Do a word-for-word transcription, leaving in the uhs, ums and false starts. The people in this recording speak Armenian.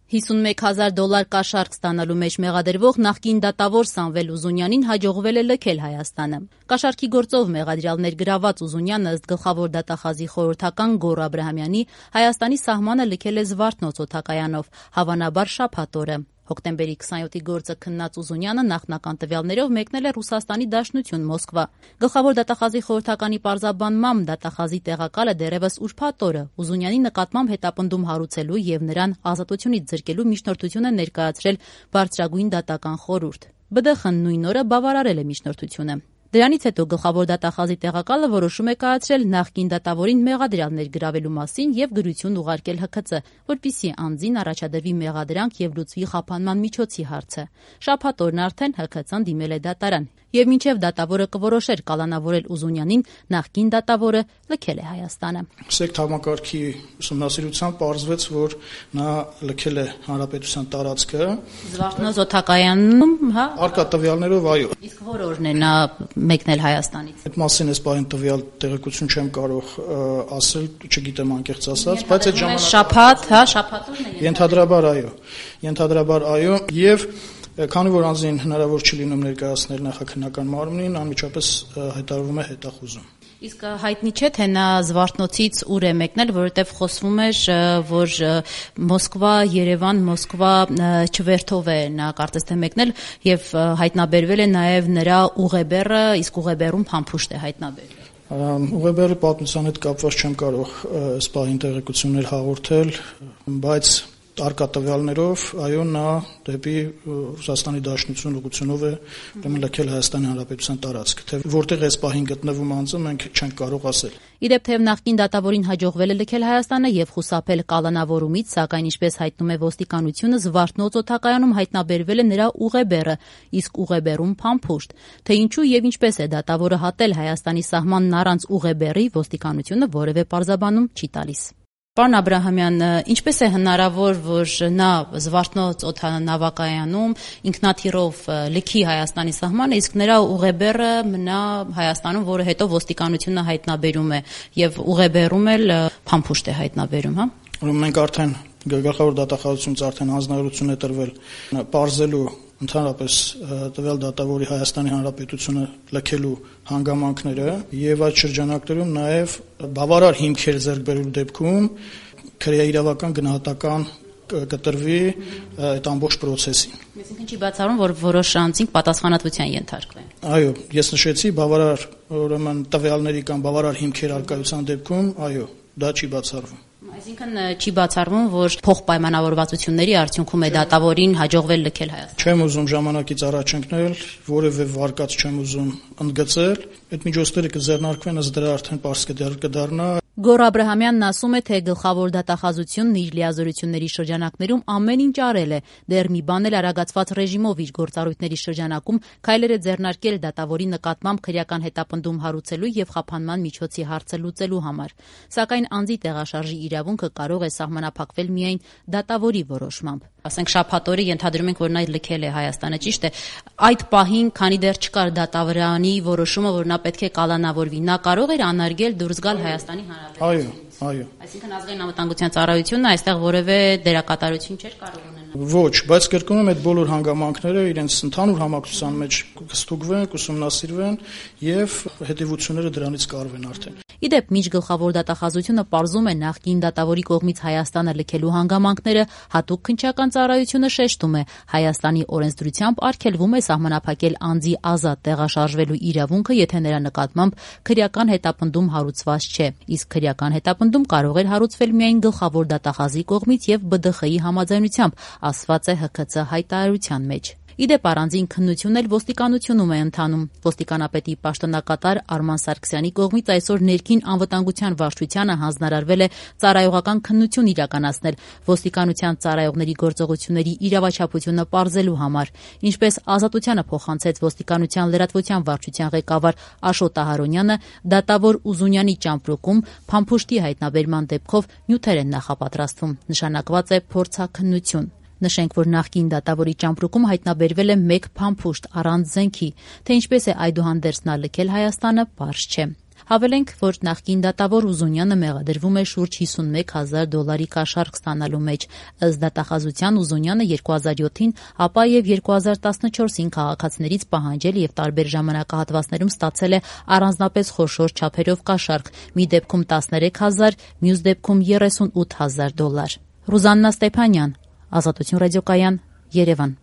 հիսունմեկ հազար դոլար կաշառք ստանալու մեջ մեղադրվող նախկին դատավոր Սամվել Ուզունյանին հաջողվել է լքել Հայաստանը։ Կաշառքի գործով մեղադրյալ ներգրավված Ուզունյանը ըստ գլխավոր դատախազի խորհրդական Գոռ Աբրահամյանի Հայաստանի սահմանը լքել է Զվարթնոց օդակայանով, հավանաբար շաբաթ օրը։ Հոկտեմբերի քսանյոթի գործը քննած Ուզունյանը նախնական տվյալներով մեկնել է Ռուսաստանի Դաշնություն Մոսկվա։ Գլխավոր դատախազի խորհրդականի պարզաբանմամբ դատախազի տեղակալը դեռևս ուրբաթ օրը Ուզունյանի նկատմամբ հետապնդում հարուցելու եւ նրան ազատությունից զրկելու միջնորդություն է ներկայացրել բարձրագույն դատական խորհուրդ։ Բը դե խ-ն նույն օրը բավարարել է միջնորդությունը։ Դրանից հետո գլխավոր դատախազի տեղակալը որոշում է կայացրել նախկին դատավորին մեղադրյալ ներգրավելու մասին եւ գրություն ուղարկել Հ K C, որպեսզի անձին առաջադրվի մեղադրանք եւ լուծվի խափանման միջոցի հարցը։ Շաբաթ օրն արդեն Հ K C-ն դիմել է դատարան եւ մինչեւ դատավորը կորոշեր կալանավորել Ուզունյանին, նախկին դատավորը լքել է Հայաստանը։ Սեկտ համակարգի ուսումնասիրությամբ պարզվեց, որ նա լքել է հանրապետության տարածքը Զվարթնոց օդակայանում, հա, արկա տվյալներով, այո։ Իսկ որ օրն է նա մեկնել Հայաստանից։ Այդ մասին էս բան տվյալ տեղեկություն չեմ կարող ասել, չգիտեմ անկեղծ ասած, բայց այդ ժամանակ շաբաթ, հա, շաբաթ օրն է։ Ենթադրաբար այո։ Ենթադրաբար այո, եւ քանի որ անձին հնարավոր չի լինում ներկայացնել նախաքննական մարմնին, անմիջապես հայտարարվում է հետախուզում։ Իսկ հայտնի չէ, թե նա Զվարթնոցից ուր է մեկնել, որովհետև խոսվում էր, որ Մոսկվա, Երևան, Մոսկվա չվերթով է նա կարծես թե մեկնել եւ հայտնաբերվել է նաեւ նրա ուղեբեռը, իսկ ուղեբեռում փամփուշտ է հայտնաբերվել։ Ուղեբեռի պատմության հետ կապված չեմ կարող այս պահին տեղեկություններ հաղորդել, բայց արկա տվյալներով, այո, նա դեպի Ռուսաստանի Դաշնություն ուղղությունով է ուրեմն լքել Հայաստանի Հանրապետության տարածքը, թե որտեղ էս պահին գտնվում անձը մենք չենք կարող ասել։ Իդեպ թեև նախկին դատավորին հաջողվել է լքել Հայաստանը եւ խուսափել կալանավորումից, սակայն ինչպես հայտնում է ոստիկանությունը, Զվարթնոց օդակայանում հայտնաբերվել է նրա ուղեբեռը, իսկ ուղեբեռում փամփուշտ։ Թե ինչու եւ ինչպես է դատավորը հատել Հայաստանի սահմանն առանց ուղեբեռի, ոստիկանությունը որևէ պարզաբանում չի տալիս։ Պարոն Աբրահամյան, ինչպես է հնարավոր, որ նա Զվարթնոց օդանավակայանում ինքնաթիռով լքի Հայաստանի սահմանը, իսկ նրա ուղեբեռը մնա Հայաստանում, որը հետո ոստիկանությունը հայտնաբերում է եւ ուղեբեռում էլ փամփուշտ է հայտնաբերում, հա։ Ուրեմն մենք արդեն գլխավոր դատախազությունից արդեն հանձնարարություն է տրվել պարզելու ընդհանրապես տվյալ դատավորի Հայաստանի Հանրապետությունը լքելու հանգամանքները եւ այդ շրջանակներում նաեւ բավարար հիմքեր ձեռք բերելու դեպքում քրեաիրավական գնահատական կտրվի այդ ամբողջ process-ին։ Այսինքն չի բացառում, որ որոշ անձինք պատասխանատվության ենթարկվեն։ Այո, ես նշեցի բավարար ուրեմն տվյալների կամ բավարար հիմքեր արկայության դեպքում, այո, դա չի բացառվում։ Այսինքն չի բացառվում, որ փոխպայմանավորվածությունների արդյունքում է դատավորին հաջողվել լքել Հայաստանը։ Չեմ ուզում ժամանակից առաջ ընկնել, որևէ վարկած չեմ ուզում ընդգծել, այդ միջոցները կձեռնարկվեն, ըստ դրա արդեն պարզ կդառնա։ Գոռ Աբրահամյանն ասում է, թե գլխավոր դատախազությունն իր լիազորությունների շրջանակներում ամեն ինչ արել է, դեռ մի բան էլ արագացված ռեժիմով իր գործառույթների շրջանակում քայլեր է ձեռնարկել դատավորի նկատմամբ քրեական հետապնդում հարուցելու եւ խափանման միջոցի հարցը լուծելու համար։ Սակայն անձի տեղաշարժի իրավունքը կարող է սահմանափակվել միայն դատավորի որոշմամբ։ Ասենք շաբաթ օրը ենթադրում ենք, որ նա լքել է Հայաստանը, ճիշտ է։ Այդ պահին, քանի դեռ չկար դատավորանի որոշումը, որ նա պետք է կալանավորվի, նա կարող էր անարգել դուրս գալ Հայաստանի Հանրապետությունից։ Այո, այո։ Այսինքն ազգային անվտանգության ծառայությունը այստեղ որևէ դերակատարություն չէր կարող ունենալ։ Ոչ, բայց կրկնում եմ, այդ բոլոր հանգամանքները իրենց ընդհանուր համակցության մեջ կստուգվեն, կուսումնասիրվեն եւ հետեւությունները դրանից կարվեն արդեն։ Իդեպ միջգլխավոր դատախազությունը պարզում է նախկին դատավորի կողմից Հայաստանը լքելու հանգամանքները, հատուկ քննչական ծառայությունը շեշտում է Հայաստանի օրենսդրությամբ արգելվում է սահմանափակել անձի ազատ տեղաշարժվելու իրավունքը, եթե նրա նկատմամբ քրեական հետապնդում հարուցված չէ, իսկ քրեական հետապնդում կարող էր հարուցվել միայն գլխավոր դատախազի կողմից եւ B D X-ի համաձայնությամբ, ասված է Հ K C հայտարարության մեջ։ Իդեպ առանձին քննություն էլ ոստիկանությունում է ընթանում։ Ոստիկանապետի պաշտոնակատար Արման Սարգսյանի կողմից այսօր ներքին անվտանգության վարչությանը հանձնարարվել է ծառայողական քննություն իրականացնել ոստիկանության ծառայողների գործողությունների իրավաչափությունը պարզելու համար, ինչպես Ազատությանը փոխանցեց ոստիկանության լրատվության վարչության ղեկավար Աշոտ Ահարոնյանը, դատավոր Ուզունյանի ճամպրուկում փամփուշտի հայտնաբերման դեպքով նյութեր են նախապատրաստվում, նշանակված է փորձաքննություն։ Նշենք, որ նախկին դատավորի ճամպրուկում հայտնաբերվել է մեկ փամփուշտ առանց զենքի, թե ինչպես է այդուհանդերձ նա լքել Հայաստանը, պարզ չէ։ Հավելենք, որ նախկին դատավոր Ուզունյանը մեղադրվում է շուրջ հիսունմեկ հազար դոլարի կաշառք ստանալու մեջ։ Ըստ դատախազության Ուզունյանը երկու հազար յոթին, ապա եւ երկու հազար տասնչորսին քաղաքացիներից պահանջել եւ տարբեր ժամանակահատվածներում ստացել է առանձնապես խոշոր չափերով կաշառք՝ մի դեպքում տասներեք հազար, մյուս դեպքում երեսունութ հազար դոլար։ Ռուզաննա Ստեփանյան, Ազատություն ռադիոկայան, Երևան։